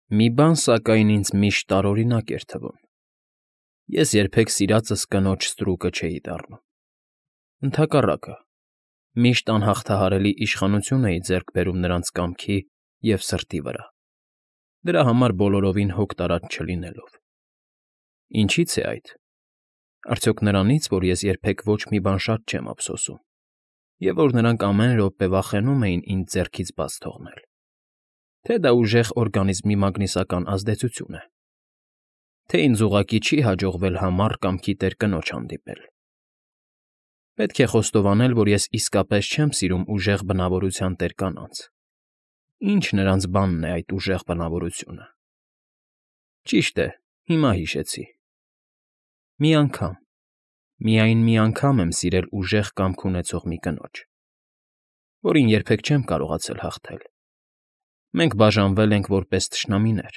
Մի բան, սակայն, ինձ միշտ տարօրինակ էր թվում. ես երբեք սիրածս կնոջ ստրուկը չէի դառնում. ընդհակառակը, միշտ անհաղթահարելի իշխանություն էի ձեռք բերում նրանց կամքի և սրտի վրա, դրա համար բոլորովին հոգ տարած չլինելով։ Ինչի՞ց է այդ. արդյոք նրանի՞ց, որ ես երբեք ոչ մի բան շատ չեմ ափսոսում, և որ նրանք ամեն րոպե վախենում էին ինձ ձեռքից բաց թողնել, թե դա ուժեղ օրգանիզմի մագնիսական ազդեցություն է, թե ինձ ուղղակի չի հաջողվել համառ կամքի տեր կնոջ հանդիպել։ Պետք է խոստովանել, որ ես իսկապես չեմ սիրում ուժեղ բնավորության տեր կանանց։ Ինչ նրանց բանն է այդ ուժեղ բնավորությունը։ Ճիշտ է, հիմա հիշեցի. մի անգամ, միայն մի անգամ եմ սիրել ուժեղ կամք ունեցող մի կնոջ, որին երբեք չեմ կարողացել հաղթել։ Մենք բաժանվել ենք որպես թշնամիներ,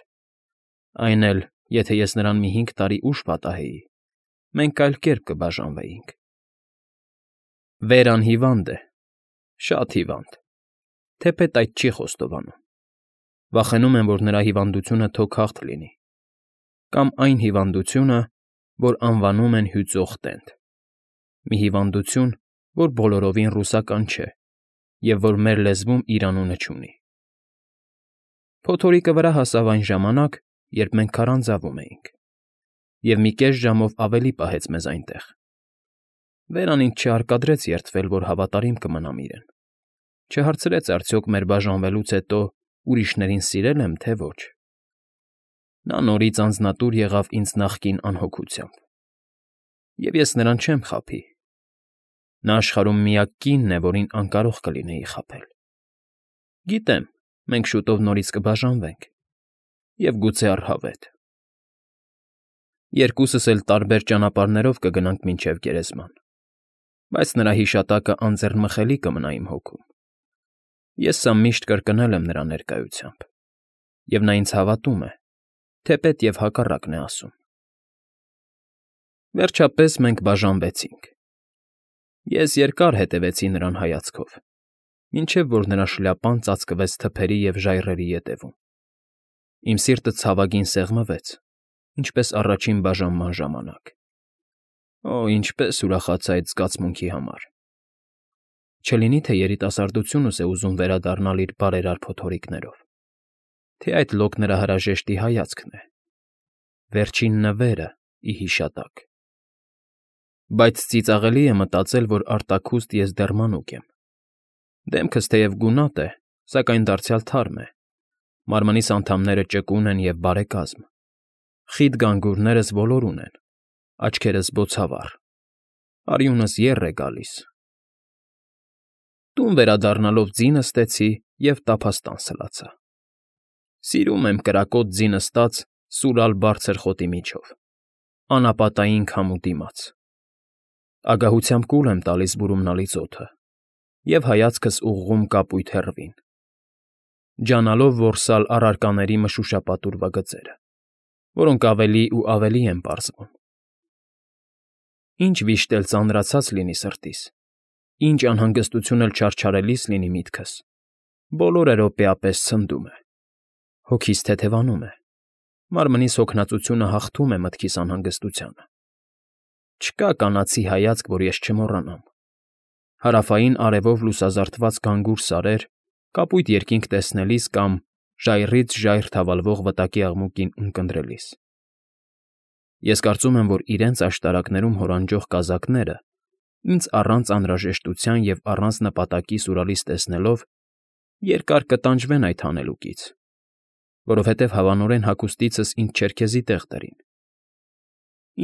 այն էլ, եթե ես նրան մի 5 տարի ուշ պատահեի, մենք այլ կերպ կբաժանվեինք։ Վերան հիվանդ է, շատ հիվանդ, թեպետ այդ չի խոստովանում։ Վախենում եմ, որ նրա հիվանդությունը թոքախտ լինի, կամ այն հիվանդությունը, որ անվանում են հյուծող տենդ, մի հիվանդություն, որ բոլորովին ռուսական չէ և որ մեր լեզվում իր անունը չունի։ Փոթորիկը վրա հասավ այն ժամանակ, երբ մենք քարանձավում էինք, և մի կես ժամով ավելի պահեց մեզ այնտեղ։ Վերան ինձ չհարկադրեց երդվել, որ հավատարիմ կմնամ իրեն, չհարցրեց արդյոք մեր բաժանվելուց հետո ուրիշներին սիրել եմ, թե ոչ։ Նա նորից անձնատուր եղավ ինձ նախկին անհոգությամբ, և ես նրան չեմ խաբի։ Նա աշխարհում միակ կինն է, որին անկարող կլինեի խաբել։ Գիտեմ, մենք շուտով նորից կբաժանվենք, և գուցե առհավետ։ Երկուսս էլ տարբեր ճանապարհներով կգնանք մինչև գերեզման, բայց նրա հիշատակը անձեռնմխելի կմնա իմ հոգում։ Ես սա միշտ կրկնել եմ նրա ներկայությամբ, և նա ինձ հավատում է, թեպետ և հակառակն է ասում։ Վերջապես մենք բաժանվեցինք։ Ես երկար հետևեցի նրան հայացքով, մինչև որ նրա շլյապան ծածկվեց թփերի և ժայռերի ետևում։ Իմ սիրտը ցավագին սեղմվեց, ինչպես առաջին բաժանման ժամանակ։ Օ, ինչպես ուրախացա այդ զգացմունքի համար։ Չլինի՞ թե երիտասարդությունս է ուզում վերադառնալ իր բարերար փոթորիկներով, թե այդ լոկ նրա հրաժեշտի հայացքն է, վերջին նվերը ի հիշատակ։ Բայց ծիծաղելի է մտածել, որ արտաքուստ ես դեռ մանուկ եմ։ Դեմքս թեև գունատ է, սակայն դարձյալ թարմ է, մարմնիս անդամները ճկուն են և բարեկազմ, խիտ գանգուրներս ոլորուն են, աչքերս բոցավառ, արյունս եռ է գալիս։ Տուն վերադառնալով ձի նստեցի և տափաստան սլացա։ Սիրում եմ կրակոտ ձի նստած սուրալ բարձր խոտի միջով, անապատային քամու դիմաց։ Ագահությամբ կուլ եմ տալիս բուրումնալից օդը և հայացքս ուղղում կապույտ հեռվին, ջանալով որսալ առարկաների մշուշապատուր բգծերը, որոնք ավելի ու ավելի են պարզվում։ Ինչ վիշտ էլ ծանրացած լինի սրտիս, ինչ անհանգստություն էլ չարչարելիս լինի միտքս, բոլորը րոպեապես ցնդում է, հոգիս թեթևանում է, մարմնիս հոգնածությունը հաղթում է մտքիս անհանգստությանը։ Չկա կանացի հայացք, որ ես չմոռանամ։ Հարավային արևով լուսազարդված գանգուր սարեր, կապույտ երկինք տեսնելիս կամ ժայռից ժայռ թավալվող վտակի աղմուկին ունկնդրելիս։ Ես կարծում եմ, որ իրենց աշտարակներում հորանջող կազակները ինձ առանց անհրաժեշտության և առանց նպատակի սուրալիս տեսնելով երկար կտանջվեն այդ հանելուկից, որովհետև հավանորեն հագուստիցս ինձ չերքեզի տեղ դրին։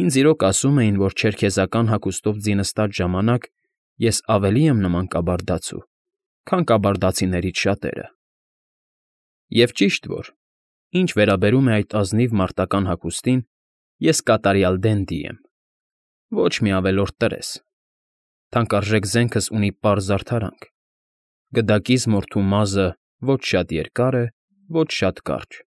Ինձ իրոք ասում էին, որ չերքեզական հագուստով ձի նստած ժամանակ ես ավելի եմ նման կաբարդացու, քան կաբարդացիներից շատերը։ Եվ ճիշտ որ, ինչ վերաբերում է այդ ազնիվ մարտական հագուստին, ես կատարյալ դենդի եմ, ոչ մի ավելորդ տրես։ Թանկարժեք զենքս ունի պարզ զարդարանք, գդակիս մորթու մազը ոչ շատ երկար է, ոչ շատ կարճ,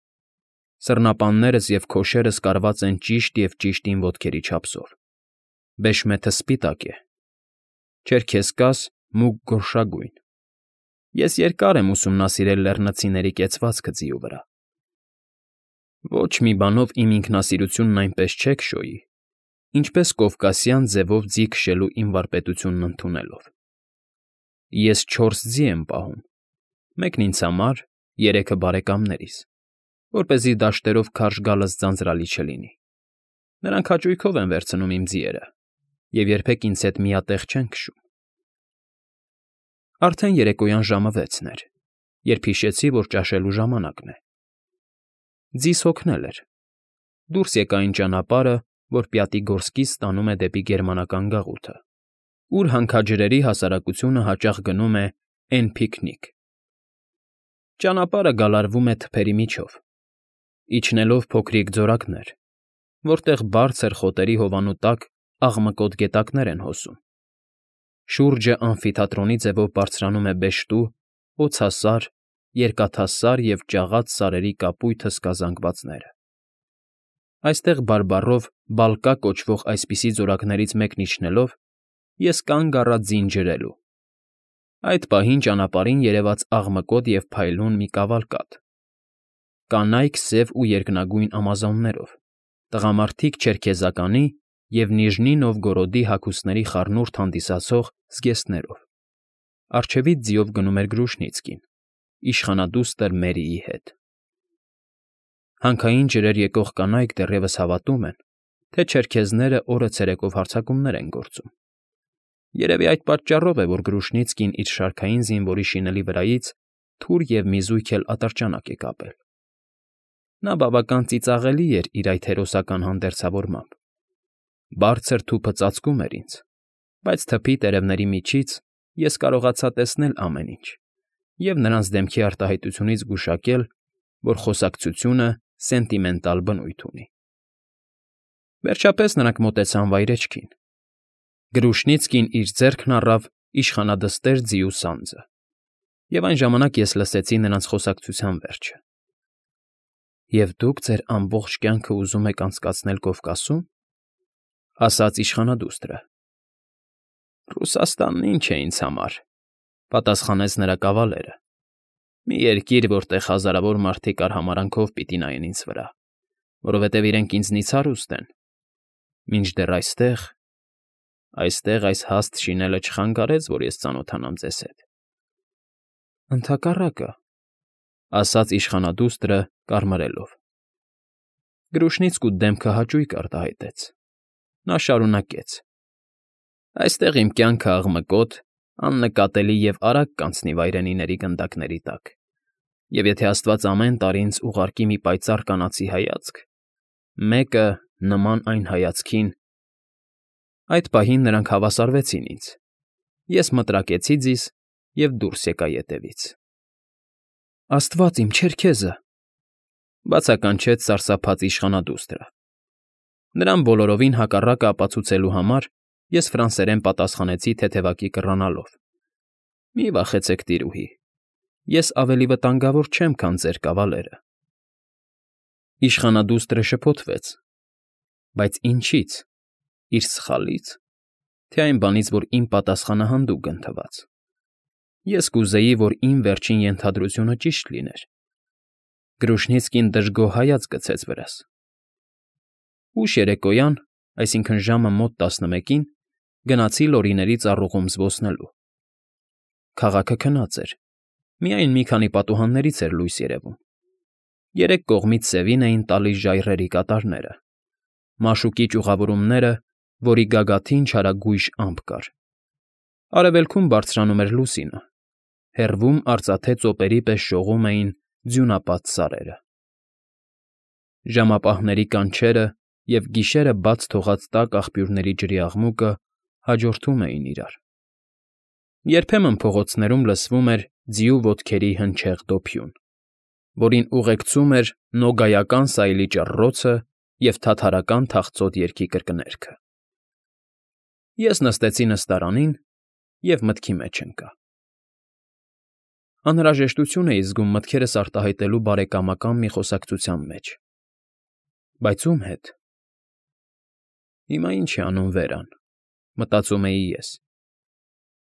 սռնապաններս և քոշերս կարված են ճիշտ և ճիշտին ոտքերի չափսով, բեշմեթը սպիտակ է, չերքեզկաս մուգ գորշագույն։ Ես երկար եմ ուսումնասիրել լեռնցիների կեցվածքը ձիու վրա։ Ոչ մի բանով իմ ինքնասիրությունն այնպես չէ քշոյի, ինչպես կովկասյան ձևով ձի քշելու իմ վարպետությունն ընդունելով։ Ես 4 ձի եմ պահում, մեկն ինձ համար, 3-ը բարեկամներիս, որպեսզի դաշտերով քարշ գալս ձանձրալի չլինի։ Նրանք հաճույքով են վերցնում իմ ձիերը և երբեք ինձ հետ միատեղ չեն քշում։ Արդեն երեկոյան ժամը 6-ն էր, երբ հիշեցի, որ ճաշելու ժամանակն է։ Ձիս հոգնել էր։ Դուրս եկա այն ճանապարհը, որ Պյատիգորսկից տանում է դեպի գերմանական գաղութը, ուր հանքաջրերի հասարակությունը հաճախ գնում է Էն֊Փիքնիկ։ Ճանապարհը գալարվում է թփերի միջով, իջնելով փոքրիկ ձորակներ, որտեղ բարձր խոտերի հովանու տակ աղմկոտ գետակներ են հոսում։ Շուրջը ամֆիթատրոնի ձևով բարձրանում է բեշտու, օձասար, երկաթասար և ճաղած սարերի կապույտ հսկա զանգվածները։ Այստեղ բարբառով Բալկա կոչվող այսպիսի ձորակներից մեկն իջնելով, ես կանգ առա ձին ջրելու։ Այդ պահին ճանապարհին երևաց աղմկոտ և փայլուն մի կավալկադ, կանայք սև ու երկնագույն ամազոններով, տղամարդիկ չերքեզականի և Նիժնի Նովգորոդի հագուստների խառնուրդ հանդիսացող զգեստներով։ Առջևից ձիով գնում էր Գրուշնիցկին, իշխանադուստր Մերիի հետ։ Հանքային ջրեր եկող կանայք դեռևս հավատում են, թե չերքեզները օրը ցերեկով հարձակումներ են գործում։ Երևի այդ պատճառով է, որ Գրուշնիցկին իր շարքային զինվորի շինելի վրայից թուր և մի զույգ էլ ատրճանակ է կապել։ Նա բավական ծիծաղելի էր իր այդ հերոսական հանդերձավորմամբ։ Բարձր թուփը ծածկում էր ինձ, բայց թփի տերևների միջից ես կարողացա տեսնել ամեն ինչ և նրանց դեմքի արտահայտությունից գուշակել, որ խոսակցությունը սենտիմենտալ բնույթ ունի։ Վերջապես նրանք մոտեցան վայրէջքին։ Գրուշնիցկին իր ձեռքն առավ իշխանադստեր ձիու սանձը, և այն ժամանակ ես լսեցի նրանց խոսակցության վերջը։ «Եվ դուք ձեր ամբողջ կյանքը ուզում եք անցկացնել Կովկասում,֊ ասաց իշխանադուստրը։ Ռուսաստանն ինչ է ինձ համար,֊ պատասխանեց նրա կավալերը։ Մի երկիր, որտեղ հազարավոր մարդիկ արհամարհանքով պիտի նայեն ինձ վրա, որովհետև իրենք ինձնից հարուստ են, մինչդեռ այստեղ այս հաստ շինելը չխանգարեց, որ ես ծանոթանամ ձեզ հետ։ Ընդհակառակը,֊ ասաց իշխանադուստրը կարմրելով։ Գրուշնիցկու դեմքը հաճույք արտահայտեց։ Նա շարունակեց. Այստեղ իմ կյանքը աղմկոտ, աննկատելի և արագ կանցնի վայրենիների գնդակների տակ, և եթե Աստված ամեն տարի ինձ ուղարկի մի պայծառ կանացի հայացք, մեկը նման այն հայացքին… Այդ պահին նրանք հավասարվեցին ինձ։ Ես մտրակեցի ձիզ և դուրս եկա ետևից։ Աստված իմ, չերքեզը,֊ բացականչեց սարսափած իշխանադուստրը։ Նրան բոլորովին հակառակը ապացուցելու համար ես ֆրանսերեն պատասխանեցի թեթևակի կռանալով. Մի վախեցեք, տիրուհի, ես ավելի վտանգավոր չեմ, քան ձեր կավալերը։ Իշխանադուստրը շփոթվեց. Բայց ինչի՞ց, իր սխալի՞ց, թե այն բանից, որ իմ պատասխանը հանդուգն թվաց։ Ես կուզեի, որ իմ վերջին ենթադրությունը ճիշտ լիներ։ Գրուշնիցկին դժգոհ հայացք գցեց վրաս։ Ուշ երեկոյան, այսինքն ժամը մոտ 11-ին, գնացի լորիների ծառուղում զբոսնելու։ Քաղաքը քնած էր, միայն մի քանի պատուհաններից էր լույս երևում։ Երեք կողմից սևին էին տալիս ժայռերի կատարները, մաշուկի ճյուղավորումները, որի գագաթին չարագույժ ամպ կար։ Արևելքում բարձրանում էր լուսինը, հեռվում արծաթե ծոպերի պես շողում էին ձյունապատ սարերը։ Ժամապահների կանչերը և գիշերը բաց թողած տաք աղբյուրների ջրի աղմուկը հաջորդում էին իրար։ Երբեմն փողոցներում լսվում էր ձիու ոտքերի հնչեղ դոփյուն, որին ուղեկցում էր նոգայական սայլի ճռռոցը և թաթարական թախծոտ երգի կրկներգը։ Ես նստեցի նստարանին և մտքի մեջ ընկա։ Անհրաժեշտություն էի զգում մտքերս արտահայտելու բարեկամական մի խոսակցության մեջ։ Բայց ում հետ։ Հիմա ինչ է անում Վերան, մտածում էի ես։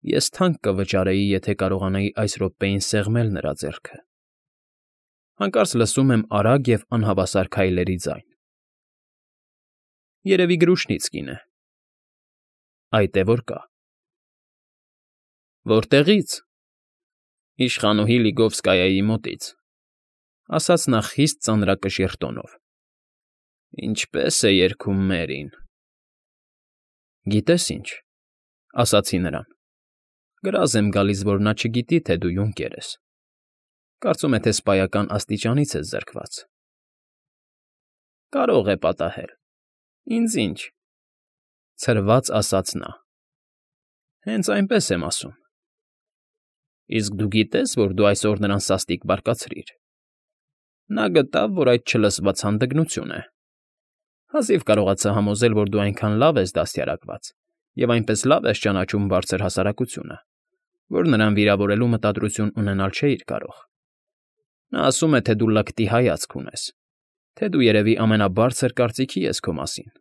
Ես թանկ կվճարեի, եթե կարողանայի այս րոպեին սեղմել նրա ձեռքը։ Հանկարծ լսում եմ արագ և անհավասար քայլերի ձայն։ Երևի Գրուշնիցկին է։ Այդ է որ կա։ Որտեղի՞ց։ Իշխանուհի Լիգովսկայայի մոտից, ասաց նա խիստ ծանրակշիռ տոնով։ Ինչպե՞ս է երգում Մերին։ Գիտես ինչ, ասացի նրան, գրազ եմ գալիս, որ նա չգիտի, թե դու յունկեր ես։ Կարծում է, թե սպայական աստիճանից ես զրկված։ Կարող է պատահել։ Ինձ ինչ, ցրված ասաց նա։ Հենց այնպես եմ ասում։ Իսկ դու գիտես, որ դու այսօր նրան սաստիկ բարկացրիր։ Նա գտավ, որ այդ չլսված հանդգնություն է։ Հազիվ կարողացա համոզել, որ դու այնքան լավ ես դաստիարակված և այնպես լավ ես ճանաչում բարձր հասարակությունը, որ նրան վիրավորելու մտադրություն ունենալ չէիր կարող։ Նա ասում է, թե դու լկտի հայացք ունես, թե դու երևի ամենաբարձր կարծիքի ես քո մասին։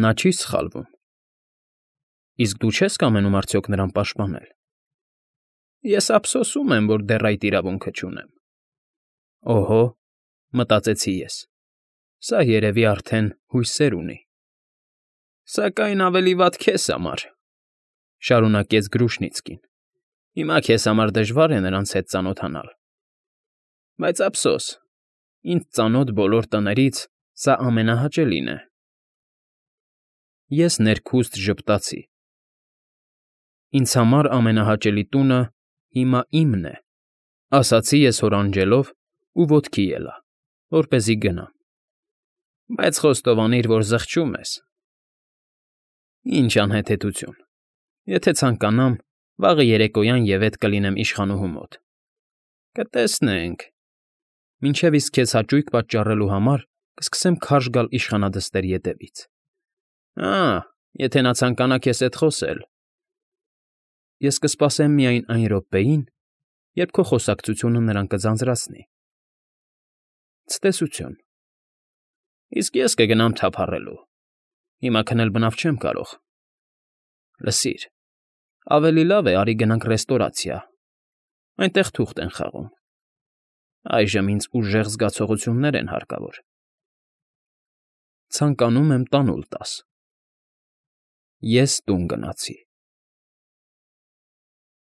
Նա չի սխալվում։ Իսկ դու չես կամենում արդյոք նրան պաշտպանել։ Ես ափսոսում եմ, որ դեռ այդ իրավունքը չունեմ։ Օհո, մտածեցի ես, սա երևի արդեն հույսեր ունի։ Սակայն ավելի վատ քեզ համար, շարունակեց Գրուշնիցկին։ Հիմա քեզ համար դժվար է նրանց հետ ծանոթանալ։ Բայց ափսոս, ինձ ծանոթ բոլոր տներից սա ամենահաճելին է։ Ես ներքուստ ժպտացի։ Ինձ համար ամենահաճելի տունը հիմա իմն է, ասացի ես հորանջելով ու ոտքի ելա, որպեսզի գնամ։ Բայց խոստովանիր, որ զղջում ես։ Ինչ անհեթեթություն։ Եթե ցանկանամ, վաղը երեկոյան ևեթ կլինեմ իշխանուհու մոտ։ Կտեսնենք։ Մինչև իսկ քեզ հաճույք պատճառելու համար կսկսեմ քարշ գալ իշխանադստեր ետևից։ Եթե նա ցանկանա քեզ հետ խոսել։ Ես կսպասեմ միայն այն րոպեին, երբ քո խոսակցությունը նրան կձանձրացնի։ Ցտեսություն։ Իսկ ես կգնամ թափառելու։ Հիմա քնել բնավ չեմ կարող։ Լսիր, ավելի լավ է արի գնանք ռեստորացիա։ Այնտեղ թուղթ են խաղում։ Այժմ ինձ ուժեղ զգացողություններ են հարկավոր։ Ցանկանում եմ տանուլ տաս։ Ես տուն գնացի։